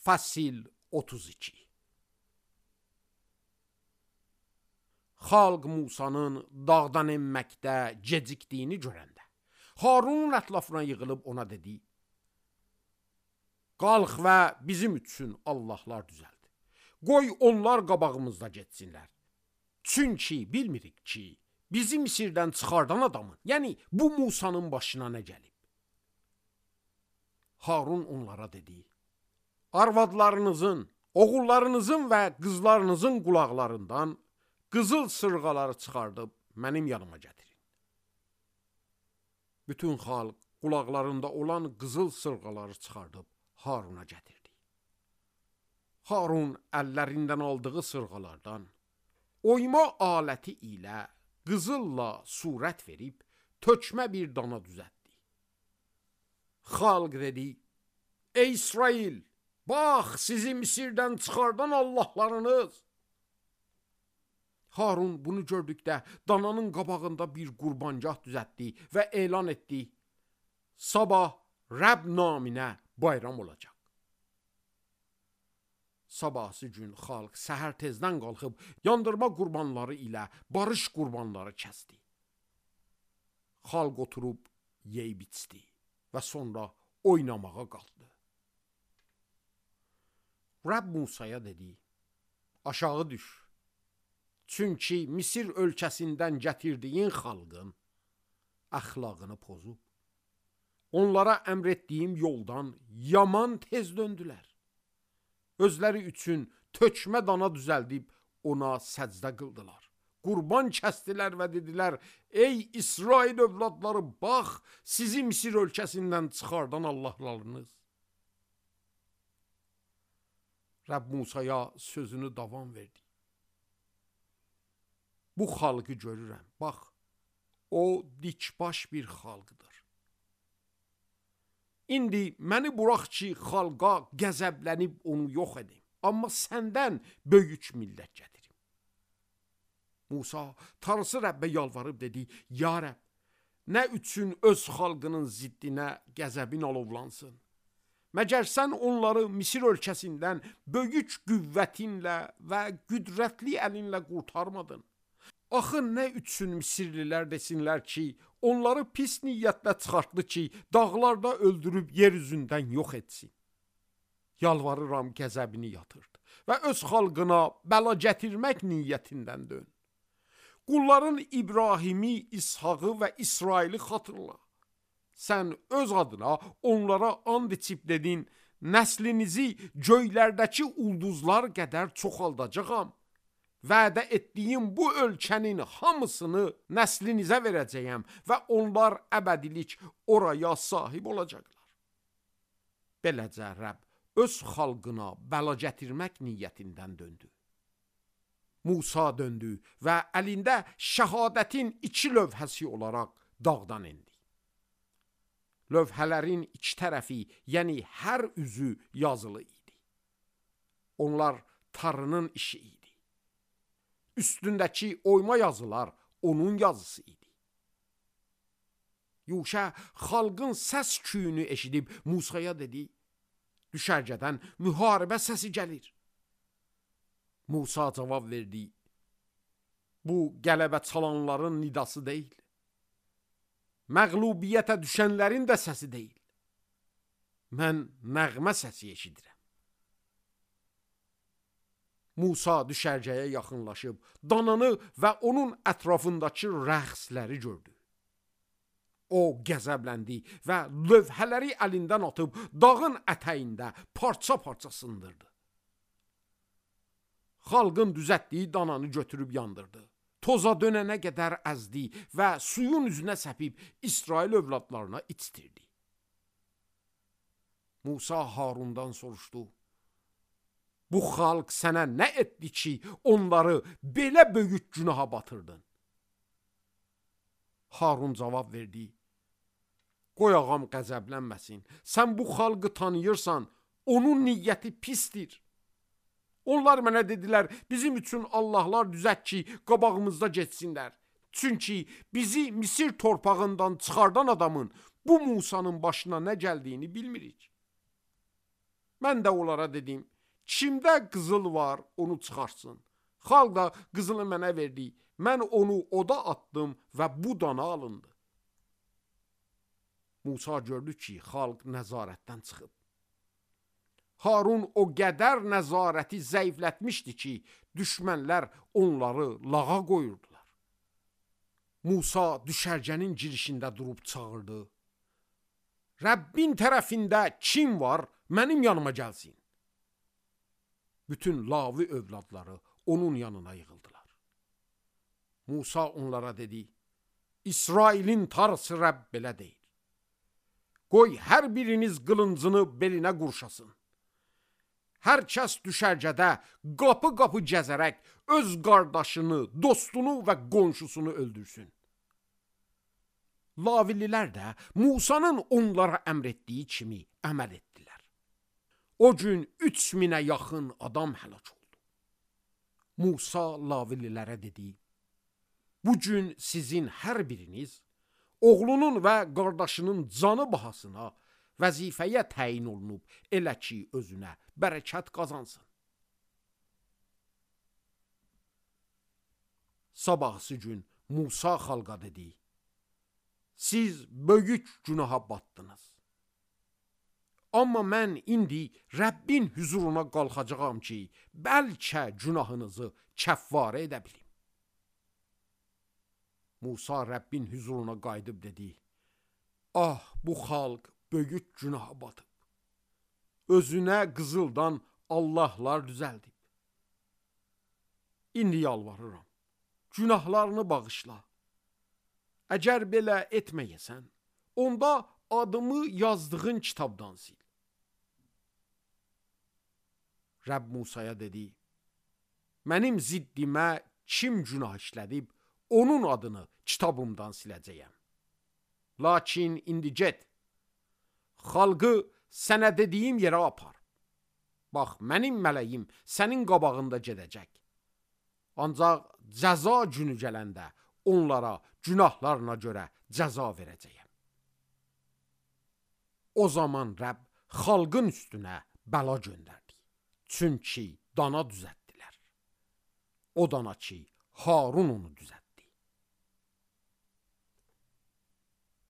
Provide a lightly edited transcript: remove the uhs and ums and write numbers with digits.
Fəsil 32. Xalq Musanın dağdan enməkdə gecikdiyini görəndə, Harunun ətrafına yığılıb ona dedi: Qalx və bizim üçün Allahlar düzəld. Qoy onlar qabağımızda getsinlər. Çünki bilmirik ki, bizi Misirdən çıxardan adamın, yəni bu Musanın başına nə gəlib. Harun onlara dedi: Arvadlarınızın, oğullarınızın və qızlarınızın qulaqlarından qızıl sırğaları çıxardıb mənim yanıma gətirin. Bütün xalq qulaqlarında olan qızıl sırğaları çıxardıb Haruna gətirdi. Harun əllərindən aldığı sırğalardan oyma aləti ilə qızılla surət verib tökmə bir dana düzəltdi. Xalq dedi: Ey İsrail, bax sizi Misirdən çıxardan Allahlarınız. Harun bunu gördükdə dananın qabağında bir qurbangah düzəltdi və elan etdi: Sabah Rəbb naminə bayram olacaq. Sabahsı gün xalq səhər tezdən qalxıb yandırma qurbanları ilə barış qurbanları kəsdi. Xalq oturub yeyib içdi və sonra oynamağa qalxdı. Rəbb Musaya dedi: Aşağı düş. Çünki Misir ölkəsindən gətirdiyin xalqın əxlaqını pozub. Onlara əmr etdiyim yoldan yaman tez döndülər. Özləri üçün tökmə dana düzəldib ona səcdə qıldılar. Qurban kəsdilər və dedilər: Ey İsrail övladları, bax sizi Misir ölkəsindən çıxardan Allahlarınız. Rəbb Musaya sözünü davam verdi. Bu xalqı görürəm, bax, o dikbaş bir xalqdır. İndi məni burax ki, xalqa qəzəblənib onu yox edim, amma səndən böyük millət gətirim. Musa Tanrısı Rəbbə yalvarıb dedi: Ya Rəbb, nə üçün öz xalqının ziddinə qəzəbin alovlansın? Məgər sən onları Misir ölkəsindən böyük qüvvətinlə və qüdrətli əlinlə qurtarmadın? Axı nə üçün Misirlilər desinlər ki, onları pis niyyətlə çıxartdı ki, dağlarda öldürüb yer üzündən yox etsin. Yalvarıram qəzəbini yatırdı və öz xalqına bəla gətirmək niyyətindən dön. Qulların İbrahimi, İshaqı və İsraili xatırla. Sən öz adına onlara and içib dedin: Nəslinizi göylərdəki ulduzlar qədər çoxaldacağam. Vədə etdiyim bu ölkənin hamısını nəslinizə verəcəyəm və onlar əbədilik oraya sahib olacaqlar. Beləcə Rəbb öz xalqına bəla gətirmək niyyətindən döndü. Musa döndü və əlində şəhadətin 2 lövhəsi olaraq dağdan endi. Lövhələrin 2 tərəfi, yəni hər üzü yazılı idi. Onlar Tanrının işi idi. Üstündəki oyma yazılar onun yazısı idi. Yuşa xalqın səs küyünü eşidib Musaya dedi: Düşərgədən müharibə səsi gəlir. Musa cavab verdi: Bu qələbə çalanların nidası deyil. Məğlubiyyətə düşənlərin də səsi deyil. Mən nəğmə səsi eşidirəm. Musa düşərgəyə yaxınlaşıb dananı və onun ətrafındakı rəqsləri gördü. O qəzəbləndi və lövhələri əlindən atıb dağın ətəyində parça-parça sındırdı. Xalqın düzəltdiyi dananı götürüb yandırdı. Toza dönənə qədər əzdi və suyun üzünə səpib İsrail övladlarına içdirdi. Musa Harundan soruşdu: Bu xalq sənə nə etdi ki, onları belə böyük günaha batırdın? Harun cavab verdi: Qoy ağam qəzəblənməsin. Sən bu xalqı tanıyırsan, onun niyyəti pisdir. Onlar mənə dedilər: Bizim üçün Allahlar düzət ki, qabağımızda getsinlər. Çünki bizi Misir torpağından çıxardan adamın bu Musanın başına nə gəldiyini bilmirik. Mən də onlara dedim, kimdə qızıl var, onu çıxarsın. Xalq da qızılı mənə verdi. Mən onu oda atdım və bu dana alındı. Musa gördü ki, xalq nəzarətdən çıxıb. Harun o qədər nəzarəti zəiflətmişdi ki, düşmənlər onları lağa qoyurdular. Musa düşərgənin girişində durub çağırdı. Rəbbin tərəfində kim var, mənim yanıma gəlsin. Bütün Lavi övladları onun yanına yığıldılar. Musa onlara dedi, İsrailin tarısı Rəbb belə deyir. Qoy hər biriniz qılıncını belinə qurşasın. Hər kəs düşərgədə qapı-qapı gəzərək öz qardaşını, dostunu və qonşusunu öldürsün. Lavililər də Musanın onlara əmr etdiyi kimi əməl etdilər. O gün 3000-ə yaxın adam həlak oldu. Musa Lavililərə dedi, bu gün sizin hər biriniz oğlunun və qardaşının canı bahasına vəzifəyə təyin olunub, elə ki özünə bərəkət qazansın. Sabahsı gün Musa xalqa dedi, siz böyük günaha batdınız. Amma mən indi Rəbbin huzuruna qalxacağam ki, bəlkə günahınızı kəffarə edə bilim. Musa Rəbbin huzuruna qayıdıb dedi, ah, bu xalq böyük günaha batıb. Özünə qızıldan Allahlar düzəldib. İndi yalvarıram, günahlarını bağışla. Əgər belə etməyəsən, onda adımı yazdığın kitabdan sil. Rəbb Musaya dedi, mənim ziddimə kim günah işlədib, onun adını kitabımdan siləcəyəm. Lakin indi get, xalqı sənə dediyim yerə apar. Bax, mənim mələyim sənin qabağında gedəcək. Ancaq cəza günü gələndə onlara günahlarına görə cəza verəcəyəm. O zaman Rəbb xalqın üstünə bəla göndərdi. Çünki dana düzəltdilər. O dana ki, Harun onu düzəltdi.